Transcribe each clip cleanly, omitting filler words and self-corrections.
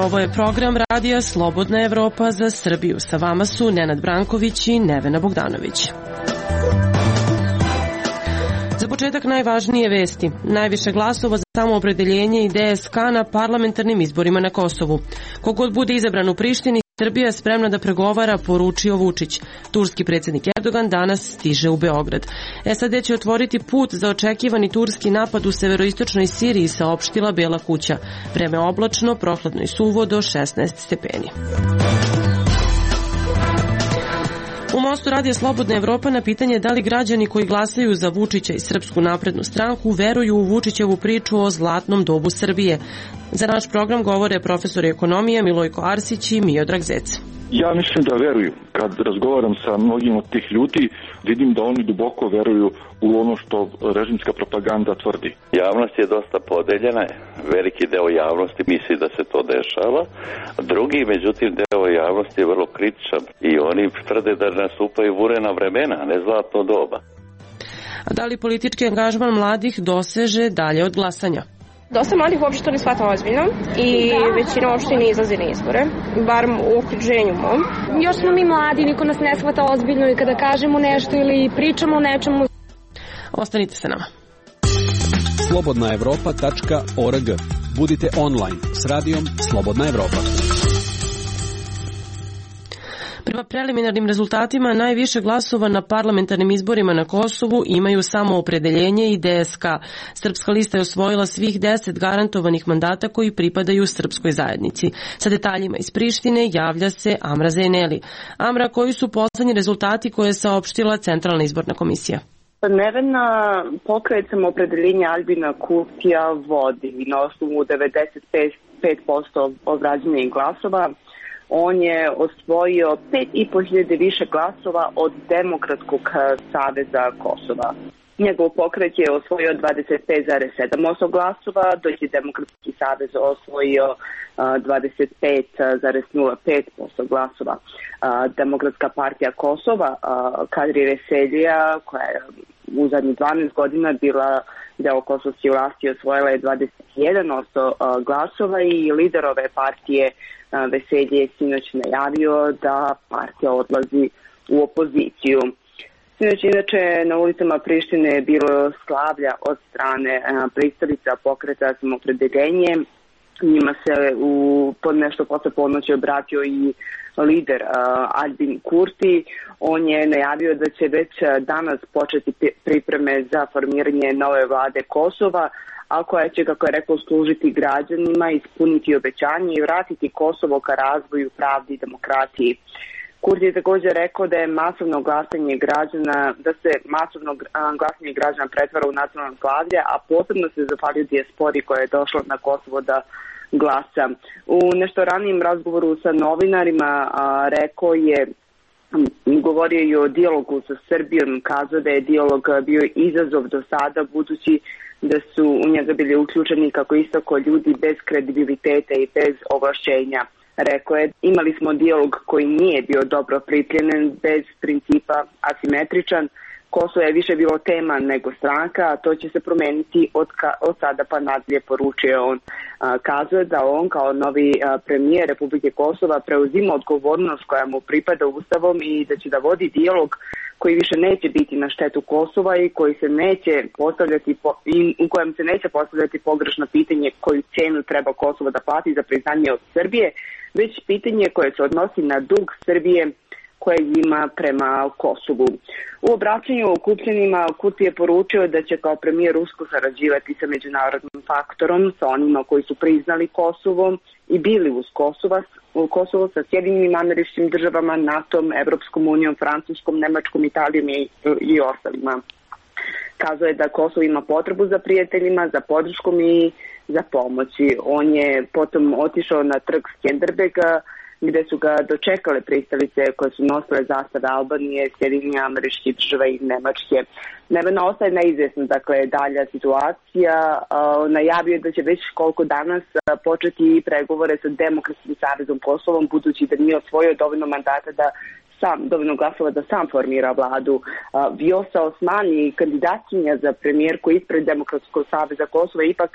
Ovo je program radija Slobodna Evropa za Srbiju. Sa vama su Nenad Branković i Nevena Bogdanović. Za početak najvažnije vesti. Najviše glasova za samoopredeljenje i DSK na parlamentarnim izborima na Kosovu. Kogod bude izabran u Prištini, Srbija je spremna da pregovara, poručio Vučić. Turski predsjednik Erdogan danas stiže u Beograd. SAD će otvoriti put za očekivani turski napad u severoistočnoj Siriji, saopštila Bela kuća. Vreme oblačno, prohladno i suvo do 16 stepeni. U Mostu radija Slobodna Evropa na pitanje da li građani koji glasaju za Vučića i Srpsku naprednu stranku veruju u Vučićevu priču o zlatnom dobu Srbije. Za naš program govore profesori ekonomije Milojko Arsić i Miodrag Zec. Ja mislim da veruju. Kad razgovaram sa mnogim od tih ljudi, vidim da oni duboko veruju u ono što režimska propaganda tvrdi. Javnost je dosta podeljena, veliki deo javnosti misli da se to dešava, drugi, međutim, deo javnosti je vrlo kritičan i oni tvrde da nastupaju vurena vremena, a ne zlatno doba. A da li politički angažman mladih doseže dalje od glasanja? Dosta mladih uopšte to ne shvata ozbiljno i većina uopšte ne izlazi na izbore, bar u okruženju mom. Još smo mi mladi, niko nas ne shvata ozbiljno i kada kažemo nešto ili pričamo o nečemu. Ostanite sa nama. slobodnaevropa.org. Budite online s radijom Slobodna Evropa. Prema preliminarnim rezultatima najviše glasova na parlamentarnim izborima na Kosovu imaju samoopredeljenje i DSK. Srpska lista je osvojila svih 10 garantovanih mandata koji pripadaju srpskoj zajednici. Sa detaljima iz Prištine javlja se Amra Zeneli. Amra, koji su poslednji rezultati koje je saopštila Centralna izborna komisija? Nevena, pokret samoopredeljenja Albina Kurtija vodi na osnovu 95% obrađenih glasova. On je osvojio 5.500 više glasova od Demokratskog saveza Kosova. Njegov pokret je osvojio 25,7% glasova, dok je Demokratski savez osvojio 25,05% glasova. Demokratska partija Kosova, Kadri Veselija, koja je u zadnjih 12 godina bila deo kosovske vlasti, osvojila je 21% glasova i lider ove partije Veselje je sinoć najavio da partija odlazi u opoziciju. Sinoć inače na ulicama Prištine je bilo slavlja od strane pristalica pokreta samoopredeljenje. Njima se pod nešto posle ponoći obratio i lider Albin Kurti. On je najavio da će već danas početi pripreme za formiranje nove vlade Kosova, a koja će, kako je rekao, služiti građanima, ispuniti obećanje i vratiti Kosovo ka razvoju, pravdi i demokratiji. Kurti je također rekao da je masovno glasanje građana, da se masovno glasanje građana pretvara u nacionalno slavlje, a posebno se zahvalio dijaspori koja je došla na Kosovo da glasa. U nešto ranijem razgovoru sa novinarima rekao je, govorio je o dijalogu sa Srbijom, kazao da je dijalog bio izazov do sada, budući da su u njega bili uključeni, kako istako, ljudi bez kredibiliteta i bez ovlašćenja. Rekao je, imali smo dijalog koji nije bio dobro pripremljen, bez principa, asimetričan. Kosovo je više bilo tema nego stranka, a to će se promeniti od sada pa nadalje, poručio on. Kazuje da on kao novi premijer Republike Kosova preuzima odgovornost koja mu pripada Ustavom i da će da vodi dijalog koji više neće biti na štetu Kosova i koji se neće postavljati u kojem se neće postavljati pogrešno pitanje koju cenu treba Kosovo da plati za priznanje od Srbije, već pitanje koje se odnosi na dug Srbije koje ima prema Kosovu. U obraćanju okupljenima Kurti je poručio da će kao premijer usko sarađivati sa međunarodnim faktorom, sa onima koji su priznali Kosovo i bili uz Kosovo, sa Sjedinjenim Američkim Državama, NATO-om, Evropskom unijom, Francuskom, Nemačkom, Italijom i ostalima. Kazao je da Kosovo ima potrebu za prijateljima, za podrškom i za pomoći. On je potom otišao na trg Skenderbega, gde su ga dočekale pristalice koje su nosile zastave Albanije, Sjedinjenih Američkih Država i Nemačke. Nevena ostaje neizvjesna, dakle, dalja situacija. Najavio je da će već koliko danas početi pregovore sa Demokratskim savezom Kosovom, budući da nije osvojio dovoljno mandata da dovoljno glasova da sam formira vladu. Vjosa Osmani, kandidatkinja za premijerku ispred Demokratskog saveza Kosova, ipak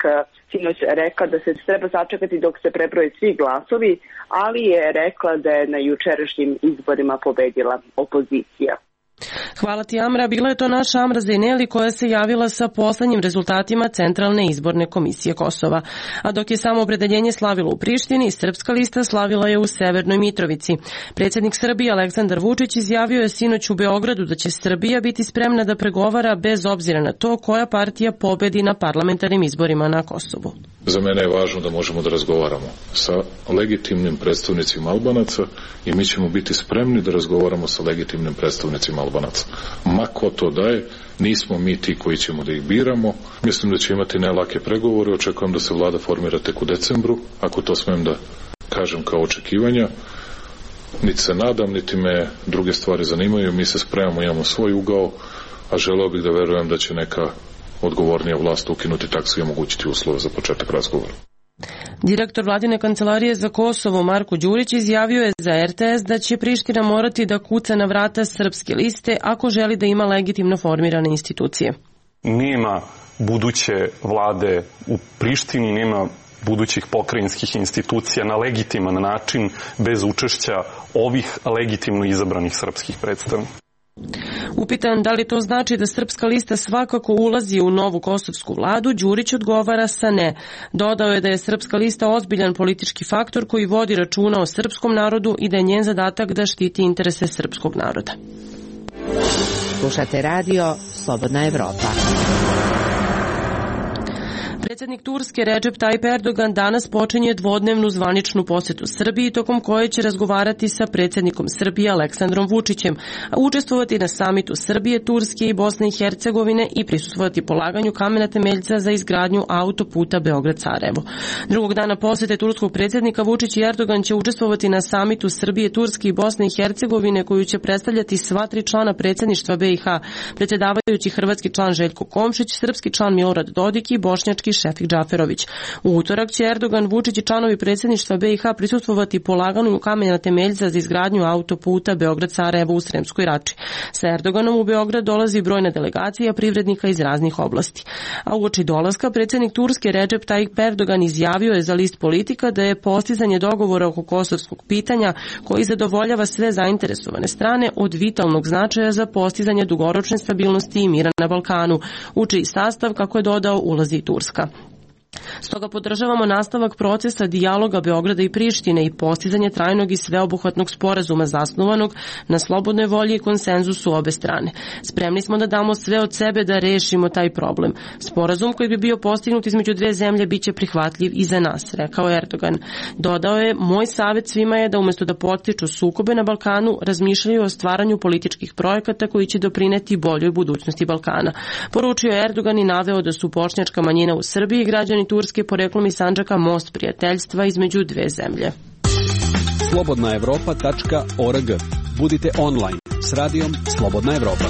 sinoć rekla da se treba sačekati dok se prebroje svi glasovi, ali je rekla da je na jučerašnjim izborima pobedila opozicija. Hvala ti, Amra. Bila je to naša Amra Zejneli koja se javila sa poslednjim rezultatima Centralne izborne komisije Kosova. A dok je samoopredeljenje slavilo u Prištini, Srpska lista slavila je u Severnoj Mitrovici. Predsjednik Srbije Aleksandar Vučić izjavio je sinoć u Beogradu da će Srbija biti spremna da pregovara bez obzira na to koja partija pobedi na parlamentarnim izborima na Kosovu. Za mene je važno da možemo da razgovaramo sa legitimnim predstavnicima Albanaca i mi ćemo biti spremni da razgovaramo sa legitimnim predstavnicima Albanaca. Ma ko to daje, nismo mi ti koji ćemo da ih biramo. Mislim da će imati nelake pregovore, očekujem da se vlada formira tek u decembru, ako to smem da kažem kao očekivanja. Niti se nadam, niti me druge stvari zanimaju, mi se spremamo, imamo svoj ugao, a želeo bih da verujem da će neka odgovornija vlast ukinuti taksu i omogućiti uslove za početak razgovora. Direktor vladine kancelarije za Kosovo Marko Đurić izjavio je za RTS da će Priština morati da kuca na vrata Srpske liste ako želi da ima legitimno formirane institucije. Nema buduće vlade u Prištini, nema budućih pokrajinskih institucija na legitiman način bez učešća ovih legitimno izabranih srpskih predstavnika. Upitan da li to znači da Srpska lista svakako ulazi u novu kosovsku vladu, Đurić odgovara sa ne. Dodao je da je Srpska lista ozbiljan politički faktor koji vodi računa o srpskom narodu i da je njen zadatak da štiti interese srpskog naroda. Slušate radio Slobodna Evropa. Predsjednik Turske Recep Tayyip Erdogan danas počinje dvodnevnu zvaničnu posetu Srbiji, tokom koje će razgovarati sa predsjednikom Srbije Aleksandrom Vučićem, a učestvovati na samitu Srbije, Turske i Bosne i Hercegovine i prisustvovati polaganju kamena temeljca za izgradnju autoputa Beograd-Sarajevo. Drugog dana posete turskog predsjednika Vučić i Erdogan će učestvovati na samitu Srbije, Turske i Bosne i Hercegovine koju će predstavljati sva tri člana predsjedništva BiH, predsjedavajući hrvatski član Željko Komšić, srpski član Milorad Dodik i bošnjački Šefik Džaferović. U utorak će Erdogan, Vučić i članovi predsjedništva BiH prisustvovati polaganju kamena temeljca za izgradnju autoputa Beograd-Sarajevo u Sremskoj Rači. Sa Erdoganom u Beograd dolazi brojna delegacija privrednika iz raznih oblasti. A uoči dolaska predsjednik Turske Recep Tayyip Erdogan izjavio je za list Politika da je postizanje dogovora oko kosovskog pitanja koji zadovoljava sve zainteresovane strane od vitalnog značaja za postizanje dugoročne stabilnosti i mira na Balkanu, u čiji sastav, kako je dodao, ulazi i Turska. Stoga podržavamo nastavak procesa dijaloga Beograda i Prištine i postizanje trajnog i sveobuhvatnog sporazuma zasnovanog na slobodnoj volji i konsenzusu obe strane. Spremni smo da damo sve od sebe da rešimo taj problem. Sporazum koji bi bio postignut između dve zemlje biće prihvatljiv i za nas, rekao Erdogan. Dodao je, moj savjet svima je da umjesto da podstiču sukobe na Balkanu, razmišljaju o stvaranju političkih projekata koji će doprineti boljoj budućnosti Balkana. Poručio je Erdogan i naveo da su bošnjačka manjina u Srbiji i građani Turske poreklom iz Sandžaka most prijateljstva između dve zemlje. slobodnaevropa.org. Budite online s radijom Slobodna Evropa.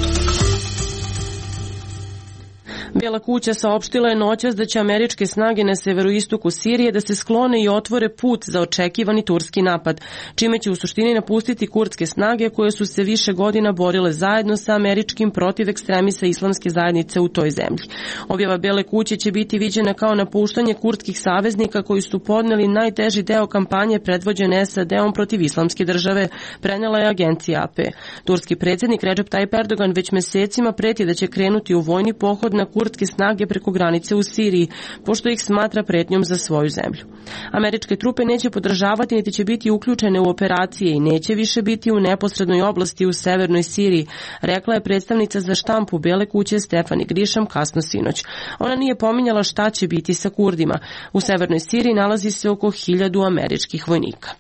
Bijela kuća saopštila je noćas da će američke snage na severoistoku Sirije da se sklone i otvore put za očekivani turski napad, čime će u suštini napustiti kurdske snage koje su se više godina borile zajedno sa američkim protiv ekstremista islamske zajednice u toj zemlji. Objava Bijele kuće će biti viđena kao napuštanje kurdskih saveznika koji su podneli najteži deo kampanje predvođene SAD-om protiv islamske države, prenela je agencija AP. Turski predsjednik Recep Tayyip Erdogan već mesecima preti da će krenuti u vojni pohod na kurdske snage preko granice u Siriji, pošto ih smatra pretnjom za svoju zemlju. Američke trupe neće podržavati niti će biti uključene u operacije i neće više biti u neposrednoj oblasti u severnoj Siriji, rekla je predstavnica za štampu Bijele kuće Stefani Grišam kasno sinoć. Ona nije pominjala šta će biti sa Kurdima. U severnoj Siriji nalazi se oko 1000 američkih vojnika.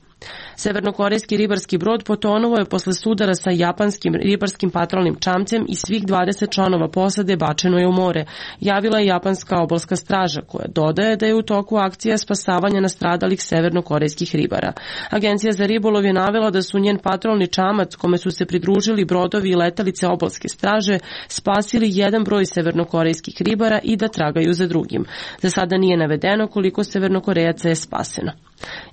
Severnokorejski ribarski brod potonuo je posle sudara sa japanskim ribarskim patrolnim čamcem i svih 20 članova posade bačeno je u more, javila je japanska obalska straža, koja dodaje da je u toku akcija spasavanja nastradalih severnokorejskih ribara. Agencija za ribolov je navela da su njen patrolni čamac, kome su se pridružili brodovi i letelice obalske straže, spasili jedan broj severnokorejskih ribara i da tragaju za drugim. Za sada nije navedeno koliko severnokorejaca je spaseno.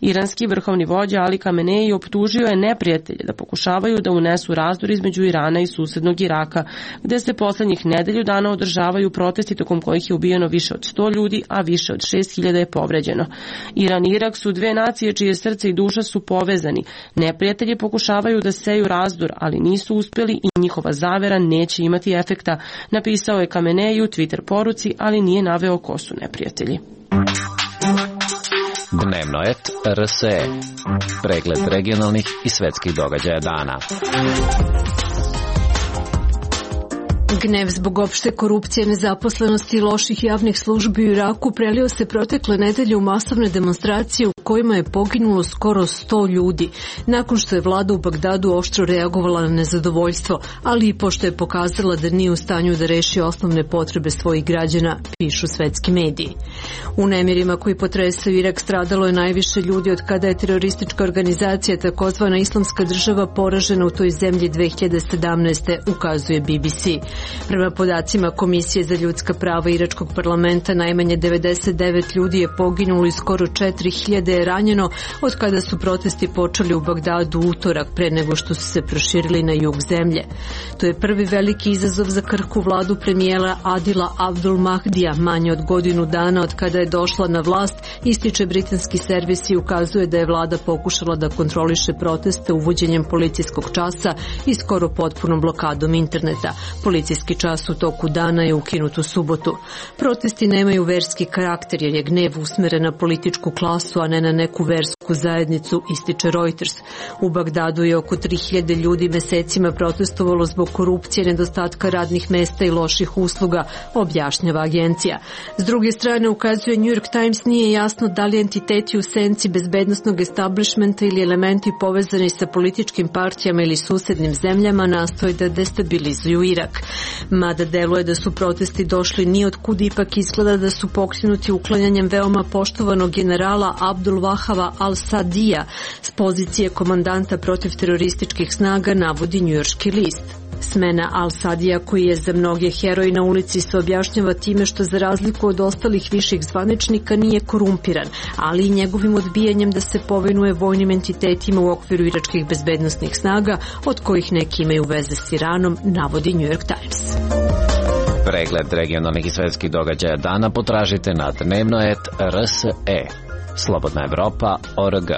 Iranski vrhovni vođa Ali Khamenei Kamenei optužio je neprijatelje da pokušavaju da unesu razdor između Irana i susednog Iraka, gde se poslednjih nedelju dana održavaju protesti tokom kojih je ubijeno više od 100 ljudi, a više od 6.000 je povređeno. Iran i Irak su dve nacije čije srce i duša su povezani. Neprijatelji pokušavaju da seju razdor, ali nisu uspeli i njihova zavera neće imati efekta, napisao je Kamenei u Twitter poruci, ali nije naveo ko su neprijatelji. Dnevnoet RSE. Pregled regionalnih i svetskih događaja dana. Gnev zbog opšte korupcije, nezaposlenosti i loših javnih službi u Iraku prelio se protekle nedelje u masovne demonstracije u kojima je poginulo skoro 100 ljudi, nakon što je vlada u Bagdadu oštro reagovala na nezadovoljstvo, ali i pošto je pokazala da nije u stanju da reši osnovne potrebe svojih građana, pišu svetski mediji. U nemirima koji potresaju Irak stradalo je najviše ljudi od kada je teroristička organizacija takozvana Islamska država poražena u toj zemlji 2017. ukazuje BBC. Prema podacima Komisije za ljudska prava Iračkog parlamenta, najmanje 99 ljudi je poginulo i skoro 4.000 je ranjeno od kada su protesti počeli u Bagdadu utorak pre nego što su se proširili na jug zemlje. To je prvi veliki izazov za krhku vladu premijera Adila Abdul Mahdija, manje od godinu dana od kada je došla na vlast, ističe britanski servis i ukazuje da je vlada pokušala da kontroliše proteste uvođenjem policijskog časa i skoro potpunom blokadom interneta. Policijski čas u toku dana je ukinut u subotu. Protesti nemaju verski karakter jer je gnev usmeren na političku klasu, a ne na neku versku zajednicu, ističe Reuters. U Bagdadu je oko 3.000 ljudi mesecima protestovalo zbog korupcije, nedostatka radnih mesta i loših usluga, objašnjava agencija. S druge strane, ukazuje New York Times, nije jasno da li entiteti u senci bezbednosnog establishmenta ili elementi povezani sa političkim partijama ili susednim zemljama nastoje da destabilizuju Irak. Mada deluje da su protesti došli ni od kud, ipak izgleda da su pokrenuti uklanjanjem veoma poštovanog generala Abdul Wahaba al-Sadija s pozicije komandanta protiv terorističkih snaga, navodi njujorški list. Smena al-Sadija, koji je za mnoge heroj na ulici, se objašnjava time što za razliku od ostalih viših zvaničnika nije korumpiran, ali i njegovim odbijanjem da se povinuje vojnim entitetima u okviru iračkih bezbednosnih snaga, od kojih neki imaju veze s Iranom, navodi New York Times. Pregled regionalnih i svetskih događaja dana potražite na Dnevnoet RSE. Slobodna Evropa.org.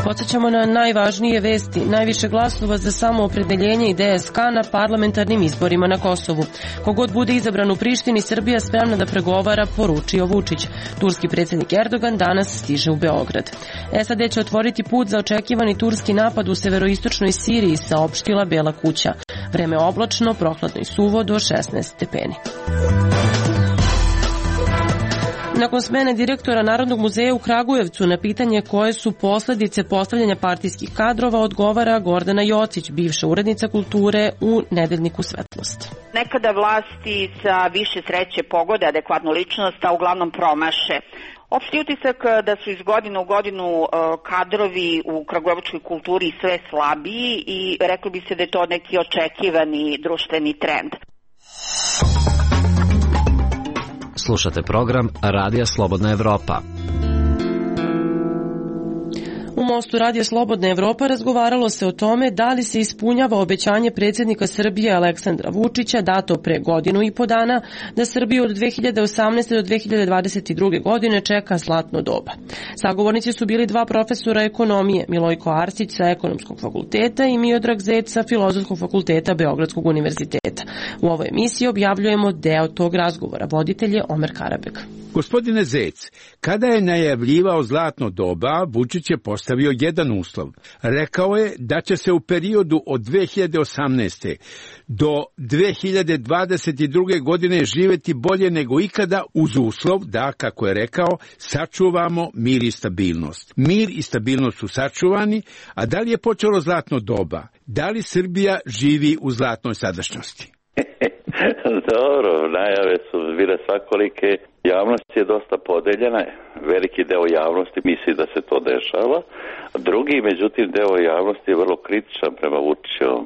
Podsećamo na najvažnije vesti. Najviše glasova za samoopredeljenje i DSK na parlamentarnim izborima na Kosovu. Kogod bude izabran u Prištini, Srbija spremna da pregovara, poručio Vučić. Turski predsjednik Erdogan danas stiže u Beograd. SAD će otvoriti put za očekivani turski napad u severoistočnoj Siriji, saopštila Bela kuća. Vreme oblačno, prohladno i suvo do 16 stepeni. Nakon smene direktora Narodnog muzeja u Kragujevcu na pitanje koje su posledice postavljanja partijskih kadrova odgovara Gordana Jocić, bivša urednica kulture u Nedeljniku Svetlost. Nekada vlasti sa više sreće pogode adekvatnu ličnost, a uglavnom promaše. Opšti utisak da su iz godine u godinu kadrovi u kragujevačkoj kulturi sve slabiji i reklo bi se da je to neki očekivani društveni trend. Slušate program Radija Slobodna Evropa. U Mostu Radija Slobodna Evropa razgovaralo se o tome da li se ispunjava obećanje predsjednika Srbije Aleksandra Vučića dato pre godinu i po dana da Srbiju od 2018. do 2022. godine čeka zlatno doba. Sagovornici su bili dva profesora ekonomije, Milojko Arsić sa Ekonomskog fakulteta i Miodrag Zec sa Filozofskog fakulteta Beogradskog univerziteta. U ovoj emisiji objavljujemo deo tog razgovora. Voditelj je Omer Karabek. Gospodine Zec, kada je najavljivao zlatno doba, Vučić je postavio jedan uslov. Rekao je da će se u periodu od 2018. do 2022. godine živjeti bolje nego ikada uz uslov da, kako je rekao, sačuvamo mir i stabilnost. Mir i stabilnost su sačuvani, a da li je počelo zlatno doba? Da li Srbija živi u zlatnoj sadašnjosti? Dobro, najave su bile svakolike. Javnost je dosta podeljena. Veliki deo javnosti misli da se to dešava. Drugi, međutim, deo javnosti je vrlo kritičan prema Vučićevom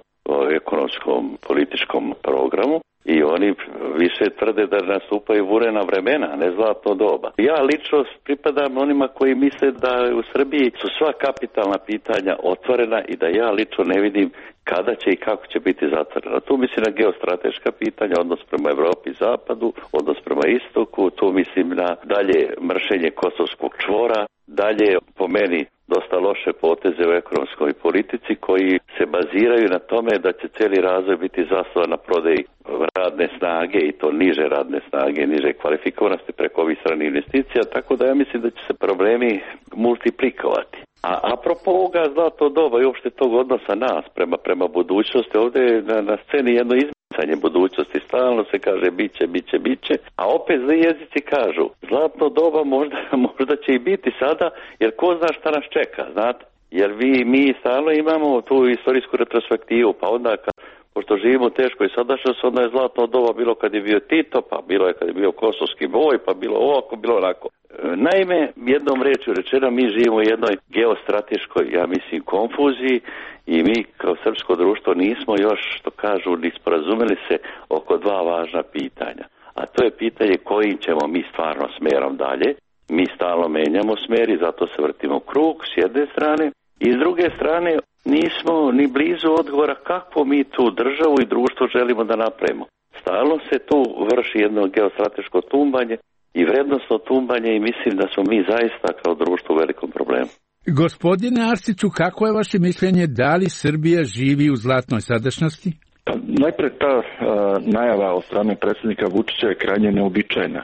ekonomskom političkom programu. I oni više tvrde da nastupaju vurena vremena, ne zlatno doba. Ja lično pripadam onima koji misle da u Srbiji su sva kapitalna pitanja otvorena i da ja lično ne vidim kada će i kako će biti zatvorena. Tu mislim na geostrateška pitanja, odnos prema Evropi i Zapadu, odnos prema Istoku, tu mislim na dalje mršenje Kosovskog čvora, dalje po meni dosta loše poteze u ekonomskoj politici koji se baziraju na tome da će cijeli razvoj biti zasnovan na prodaji radne snage i to niže radne snage, niže kvalifikovanosti preko ovih stranih investicija, tako da ja mislim da će se problemi multiplikovati. A apropo ovoga zlatno doba i uopšte tog odnosa nas prema budućnosti, ovdje je na sceni jedno izmicanje budućnosti, stalno se kaže biće, a opet zli jezici kažu zlatno doba možda će i biti sada, jer ko zna šta nas čeka, znate? Jer mi stalno imamo tu istorijsku retrospektivu, pa onda pošto živimo u teškoj sadašnjosti, onda je zlatno doba bilo kad je bio Tito, pa bilo je kad je bio kosovski boj, pa bilo ovako, bilo onako. Naime, jednom rečju rečeno, mi živimo u jednoj geostrateškoj, ja mislim, konfuziji i mi kao srpsko društvo nismo još, što kažu, ni sporazumeli se oko dva važna pitanja. A to je pitanje kojim ćemo mi stvarno smerom dalje. Mi stalno menjamo smer i zato se vrtimo u krug s jedne strane i s druge strane nismo ni blizu odgovora kako mi tu državu i društvo želimo da napravimo. Stalno se tu vrši jedno geostrateško tumbanje i vrednostno tumbanje i mislim da smo mi zaista kao društvo u velikom problemu. Gospodine Arsiću, kako je vaše mišljenje, da li Srbija živi u zlatnoj sadašnjosti? Najpre ta najava od strane predsjednika Vučića je krajnje neobičajna.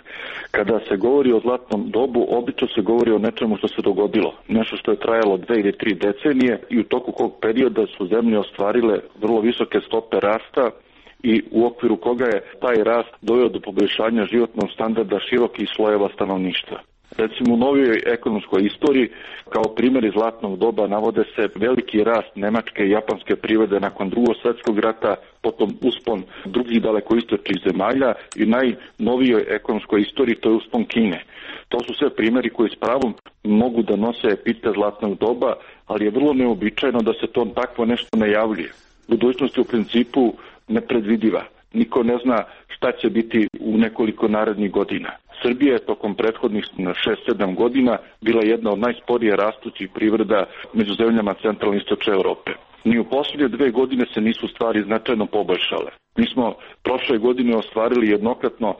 Kada se govori o zlatnom dobu, obično se govori o nečemu što se dogodilo. Nešto što je trajalo 2 ili 3 decenije i u toku kog perioda su zemlje ostvarile vrlo visoke stope rasta i u okviru koga je taj rast doveo do poboljšanja životnog standarda širokih slojeva stanovništva. Recimo u novijoj ekonomskoj istoriji kao primjer iz zlatnog doba navode se veliki rast nemačke i japanske privrede nakon Drugog svjetskog rata, potom uspon drugih dalekoistočnih zemalja i najnovijoj ekonomskoj istoriji to je uspon Kine. To su sve primjeri koji s pravom mogu da nose epite zlatnog doba, ali je vrlo neobičajno da se to takvo nešto najavljuje. Budućnost je u principu nepredvidiva. Niko ne zna šta će biti u nekoliko narednih godina. Srbija je tokom prethodnih 6-7 godina bila jedna od najsporije rastućih privreda među zemljama centralne i istočne Europe. Ni u posljednje 2 godine se nisu stvari značajno poboljšale. Mi smo prošle godine ostvarili jednokratno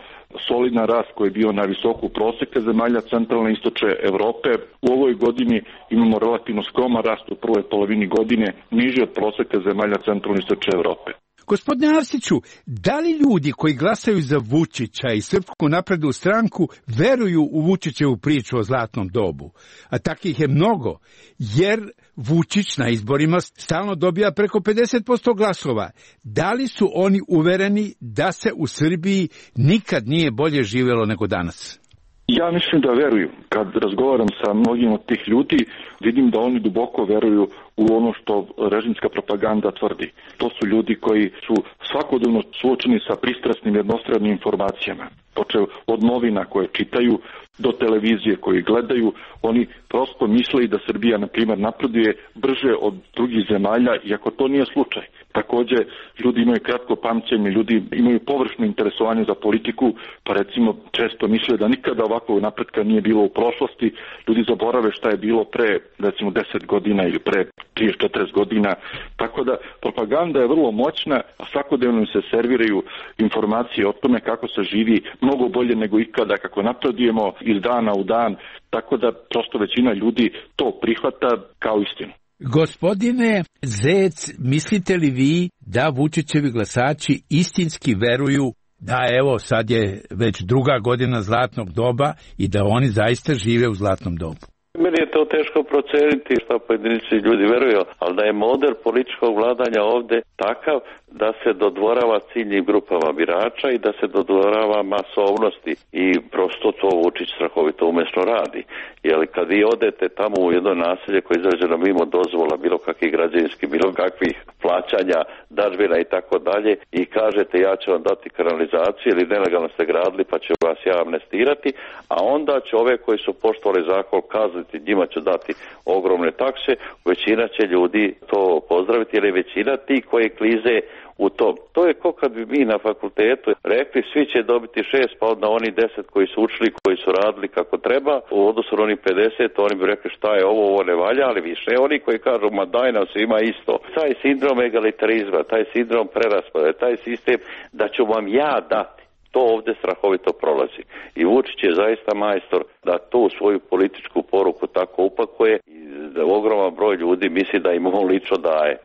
solidan rast koji je bio na visoku proseka zemalja centralne i istočne Europe. U ovoj godini imamo relativno skroman rast u prvoj polovini godine, niži od proseka zemalja centralne i istočne Europe. Gospodine Arsiću, da li ljudi koji glasaju za Vučića i Srpsku naprednu stranku veruju u Vučićevu priču o zlatnom dobu? A takih je mnogo, jer Vučić na izborima stalno dobija preko 50% glasova. Da li su oni uvereni da se u Srbiji nikad nije bolje živjelo nego danas? Ja mislim da veruju. Kad razgovaram sa mnogim od tih ljudi, vidim da oni duboko veruju u ono što režimska propaganda tvrdi. To su ljudi koji su svakodnevno suočeni sa pristrasnim jednostranim informacijama. Počev od novina koje čitaju do televizije koje gledaju, oni prosto misle da Srbija, na primjer, napreduje brže od drugih zemalja, iako to nije slučaj. Također, ljudi imaju kratko pamćenje, ljudi imaju površno interesovanje za politiku, pa recimo često misle da nikada ovakvog napretka nije bilo u prošlosti. Ljudi zaborave šta je bilo pre, recimo, 10 godina ili pre 30-40 godina. Tako da propaganda je vrlo moćna, a svakodnevno se serviraju informacije o tome kako se živi mnogo bolje nego ikada, kako napredujemo iz dana u dan, tako da prosto većina ljudi to prihvata kao istinu. Gospodine Zec, mislite li vi da Vučićevi glasači istinski veruju da evo sad je već 2. godina zlatnog doba i da oni zaista žive u zlatnom dobu? Meni je to teško proceniti šta pojedinici ljudi veruju, ali da je model političkog vladanja ovde takav da se dodvorava ciljnim grupama birača i da se dodvorava masovnosti i prosto to Vučić strahovito umesno radi. Jer kad vi odete tamo u jedno naselje koje je izrađeno mimo dozvola, bilo kakvih građevinskih, bilo kakvih plaćanja, dažbina i tako dalje i kažete ja ću vam dati kanalizaciju ili nelegalno ste gradili pa ću vas ja amnestirati, a onda će ove koji su poštovali zakon kazniti, njima ću dati ogromne takse, većina će ljudi to pozdraviti jer je većina ti koji klize u tom. To je ko kad bi mi na fakultetu rekli svi će dobiti 6, pa onda oni 10 koji su učili, koji su radili kako treba, u odnosu na oni 50, oni bi rekli šta je ovo ne valja, ali više oni koji kažu ma daj nam svima isto. Taj sindrom egalitarizma, taj sindrom preraspodele, taj sistem da ću vam ja dati, to ovdje strahovito prolazi. I Vučić je zaista majstor da tu svoju političku poruku tako upakuje i da ogroman broj ljudi misli da im on lično daje.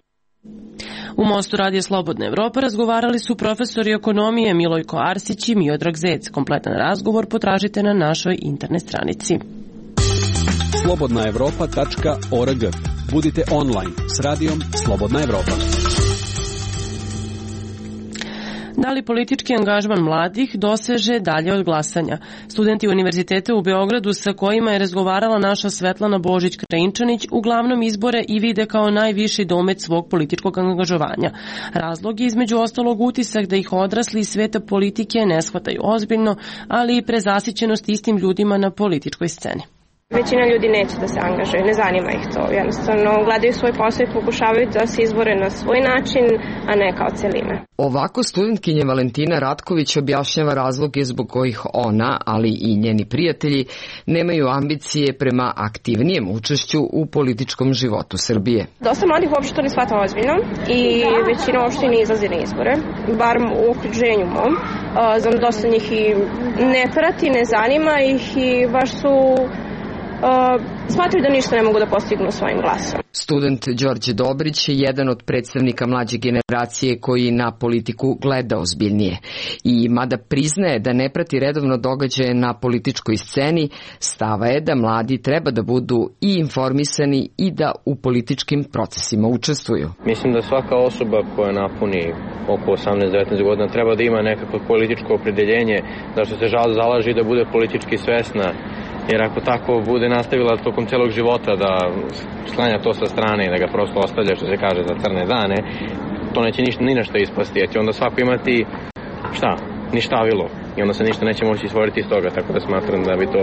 U Mostu Radija Slobodna Evropa razgovarali su profesori ekonomije Milojko Arsić i Miodrag Zec. Kompletan razgovor potražite na našoj internet stranici. slobodnaevropa.org. Budite online s radijom Slobodna Evropa. Da li politički angažman mladih doseže dalje od glasanja? Studenti Univerziteta u Beogradu sa kojima je razgovarala naša Svetlana Božić-Krajinčanić uglavnom izbore i vide kao najviši domet svog političkog angažovanja. Razlog je između ostalog utisak da ih odrasli iz sveta politike ne shvataju ozbiljno, ali i prezasićenost istim ljudima na političkoj sceni. Većina ljudi neće da se angažuje, ne zanima ih to. Jednostavno gledaju svoj posao i pokušavaju da se izbore na svoj način, a ne kao celina. Ovako studentkinja Valentina Ratković objašnjava razloge zbog kojih ona, ali i njeni prijatelji, nemaju ambicije prema aktivnijem učešću u političkom životu Srbije. Dosta mladih uopšte to ne shvata ozbiljno i većina uopšte ne izlazi na izbore, bar u okruženju mom. Znam dosta njih i ne prati, ne zanima ih i baš su smatraju da ništa ne mogu da postignu svojim glasom. Student Đorđe Dobrić je jedan od predstavnika mlađe generacije koji na politiku gleda ozbiljnije. I mada priznaje da ne prati redovno događaje na političkoj sceni, stava je da mladi treba da budu i informisani i da u političkim procesima učestvuju. Mislim da svaka osoba koja napuni oko 18-19 godina treba da ima nekako političko opredeljenje, da što se zalaži da bude politički svesna. Jer ako tako bude nastavila tokom celog života da sklanja to sa strane i da ga prosto ostavlja, što se kaže, za crne dane, to neće ni na što ispasti, jer će onda svako imati ništavilo i onda se ništa neće moći stvoriti iz toga, tako da smatram da bi to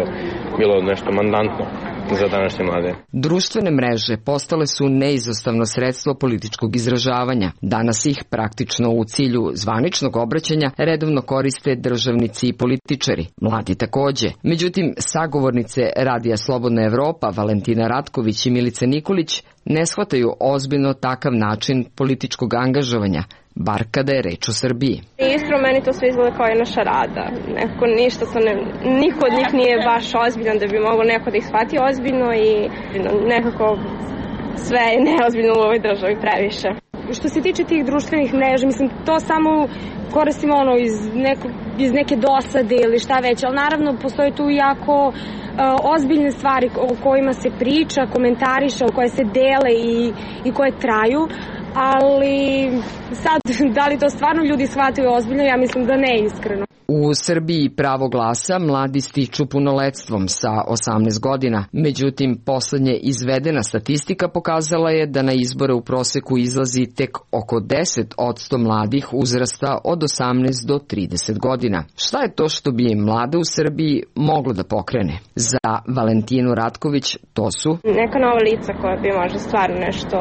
bilo nešto mandantno za današnje mlade. Društvene mreže postale su neizostavno sredstvo političkog izražavanja. Danas ih praktično u cilju zvaničnog obraćanja redovno koriste državnici i političari. Mladi takođe. Međutim, sagovornice Radija Slobodna Evropa Valentina Ratković i Milica Nikolić ne shvataju ozbiljno takav način političkog angažovanja, bar kada je reč o Srbiji. Iskreno, meni to sve izgleda kao jedna šarada. Niko od njih nije baš ozbiljan da bi mogao neko da ih shvati ozbiljno i nekako sve je neozbiljno u ovoj državi previše. Što se tiče tih društvenih mreža, mislim, to samo koristimo iz neke dosade ili šta već, ali naravno postoje tu jako ozbiljne stvari o kojima se priča, komentariše, o koje se dele i koje traju, ali sad, da li to stvarno ljudi shvataju ozbiljno, ja mislim da ne iskreno. U Srbiji pravo glasa mladi stiču punoletstvom sa 18 godina. Međutim, poslednje izvedena statistika pokazala je da na izbore u proseku izlazi tek oko 10% mladih uzrasta od 18 do 30 godina. Šta je to što bi mlade u Srbiji moglo da pokrene? Za Valentinu Ratković to su neka nova lica koja bi možda stvarno nešto,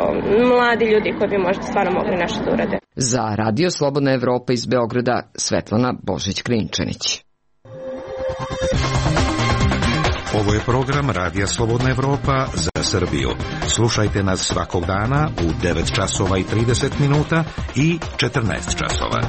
mladi ljudi koji bi možda stvarno mogli nešto da urade. Za Radio Slobodna Evropa iz Beograda, Svetlana Božić-Krajinčanić. Ovo je program Radija Slobodna Evropa za Srbiju. Slušajte nas svakog dana u 9 časova i 30 minuta i 14 časova.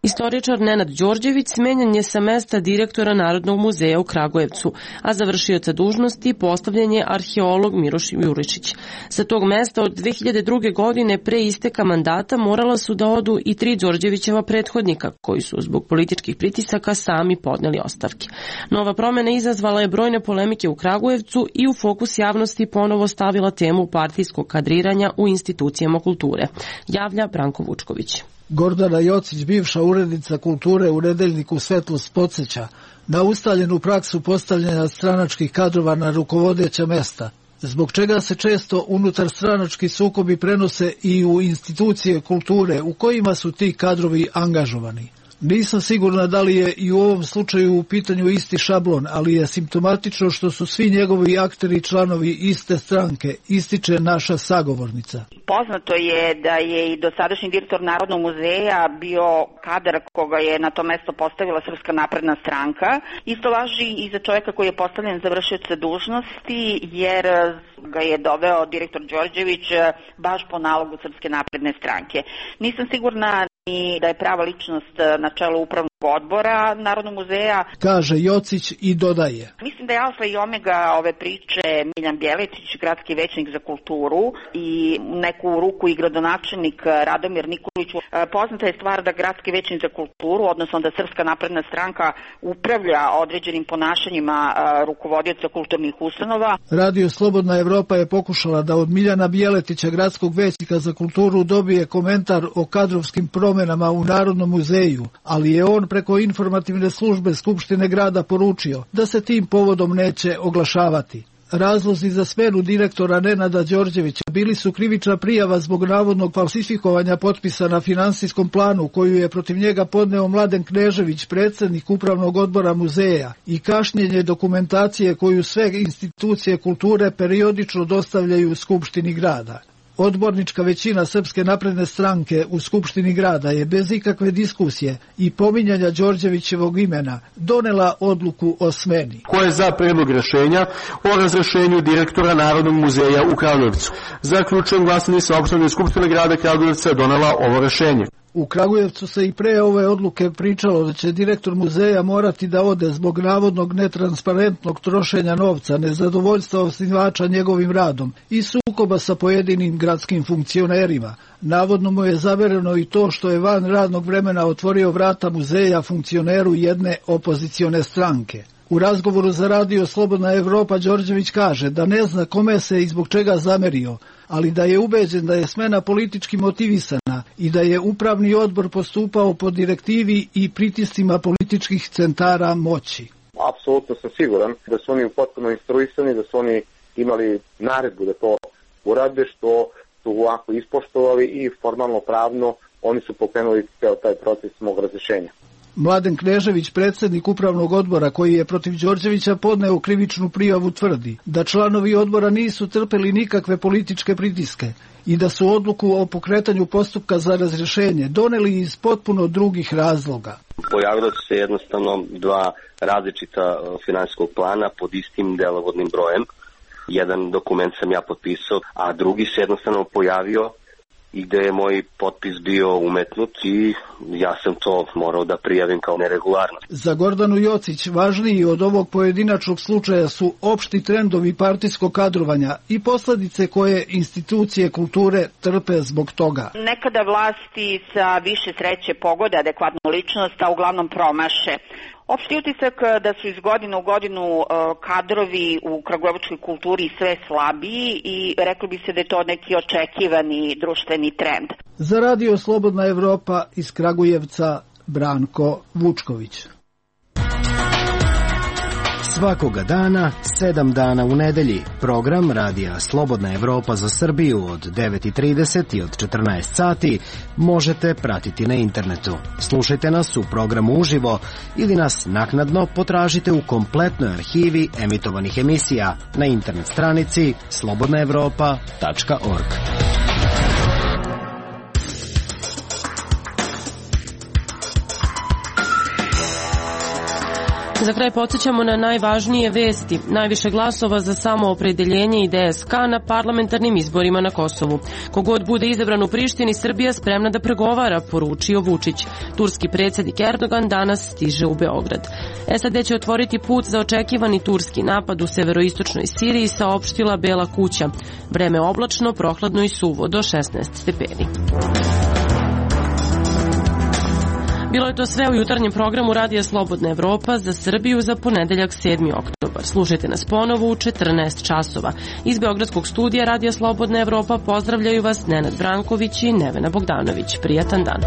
Istoričar Nenad Đorđević smenjen je sa mesta direktora Narodnog muzeja u Kragujevcu, a za vršioca dužnosti postavljen je arheolog Miroš Juričić. Sa tog mesta od 2002. godine pre isteka mandata morala su da odu i 3 Đorđevićeva prethodnika, koji su zbog političkih pritisaka sami podneli ostavke. Nova promena izazvala je brojne polemike u Kragujevcu i u fokus javnosti ponovo stavila temu partijskog kadriranja u institucijama kulture, javlja Branko Vučković. Gordana Jocić, bivša urednica kulture u nedeljniku Svetlost, podsjeća na ustaljenu praksu postavljanja stranačkih kadrova na rukovodeća mesta, zbog čega se često unutar stranački sukobi prenose i u institucije kulture u kojima su ti kadrovi angažovani. Nisam sigurna da li je i u ovom slučaju u pitanju isti šablon, ali je simptomatično što su svi njegovi akteri članovi iste stranke, ističe naša sagovornica. Poznato je da je i dosadašnji direktor Narodnog muzeja bio kadar koga je na to mesto postavila Srpska napredna stranka. Isto važi i za čovjeka koji je postavljen za vršioca dužnosti, jer ga je doveo direktor Đorđević baš po nalogu Srpske napredne stranke. Nisam sigurna i da je prava ličnost na čelu upravnog odbora Narodnog muzeja, kaže Jocić i dodaje. Mislim da je alfa i omega ove priče Miljan Bjeletić, gradski većnik za kulturu, i neku ruku i gradonačelnik Radomir Nikolić. Poznata je stvar da gradski većnik za kulturu, odnosno da Srpska napredna stranka upravlja određenim ponašanjima rukovodioca kulturnih ustanova. Radio Slobodna Evropa je pokušala da od Miljana Bjeletića, gradskog većnika za kulturu, dobije komentar o kadrovskim promenama u Narodnom muzeju, ali je on preko informativne službe Skupštine grada poručio da se tim povodom neće oglašavati. Razlozi za smenu direktora Nenada Đorđevića bili su krivična prijava zbog navodnog falsifikovanja potpisa na finansijskom planu koju je protiv njega podneo Mladen Knežević, predsjednik upravnog odbora muzeja, i kašnjenje dokumentacije koju sve institucije kulture periodično dostavljaju Skupštini grada. Odbornička većina Srpske napredne stranke u Skupštini grada je bez ikakve diskusije i pominjanja Đorđevićevog imena donela odluku o smeni. Ko je za predlog rešenja o razrešenju direktora Narodnog muzeja u Kragujevcu? Zaključujem glasanje, saopšteno Skupština grada Kragujevca je donela ovo rešenje. U Kragujevcu se i pre ove odluke pričalo da će direktor muzeja morati da ode zbog navodnog netransparentnog trošenja novca, nezadovoljstva osnivača njegovim radom i sukoba sa pojedinim gradskim funkcionerima. Navodno mu je zavereno i to što je van radnog vremena otvorio vrata muzeja funkcioneru jedne opozicione stranke. U razgovoru za Radio Slobodna Evropa Đorđević kaže da ne zna kome se i zbog čega zamerio, ali da je ubeđen da je smena politički motivisana i da je upravni odbor postupao po direktivi i pritiscima političkih centara moći. Apsolutno sam siguran da su oni potpuno instruisani, da su oni imali naredbu da to urade, što su ovako ispoštovali i formalno pravno oni su pokrenuli ceo taj proces mog razrešenja. Mladen Knežević, predsjednik upravnog odbora koji je protiv Đorđevića podneo krivičnu prijavu, tvrdi da članovi odbora nisu trpeli nikakve političke pritiske i da su odluku o pokretanju postupka za razrješenje doneli iz potpuno drugih razloga. Pojavilo su se jednostavno dva različita finansijskog plana pod istim delovodnim brojem. Jedan dokument sam ja potpisao, a drugi se jednostavno pojavio i gde je moj potpis bio umetnut i ja sam to morao da prijavim kao neregularno. Za Gordanu Jocić važniji od ovog pojedinačnog slučaja su opšti trendovi partijskog kadrovanja i posledice koje institucije kulture trpe zbog toga. Nekada vlasti sa više sreće pogode adekvatnu ličnost, a uglavnom promaše. Opšti utisak da su iz godine u godinu kadrovi u kragujevačkoj kulturi sve slabiji i reklo bi se da je to neki očekivani društveni trend. Za Radio Slobodna Evropa iz Kragujevca, Branko Vučković. Svakoga dana, 7 dana u nedelji, program Radija Slobodna Evropa za Srbiju od 9:30 i od 14 sati možete pratiti na internetu. Slušajte nas u programu uživo ili nas naknadno potražite u kompletnoj arhivi emitovanih emisija na internet stranici slobodnaevropa.org. Za kraj podsjećamo na najvažnije vesti. Najviše glasova za samoopredeljenje i DSK na parlamentarnim izborima na Kosovu. Kogod bude izabran u Prištini, Srbija spremna da pregovara, poručio Vučić. Turski predsjednik Erdogan danas stiže u Beograd. SAD će otvoriti put za očekivani turski napad u severoistočnoj Siriji, saopštila Bela kuća. Vreme oblačno, prohladno i suvo do 16 stepeni. Bilo je to sve u jutarnjem programu Radija Slobodna Evropa za Srbiju za ponedeljak 7. oktobar. Slušajte nas ponovo u 14 časova. Iz Beogradskog studija Radija Slobodna Evropa pozdravljaju vas Nenad Branković i Nevena Bogdanović. Prijatan dan.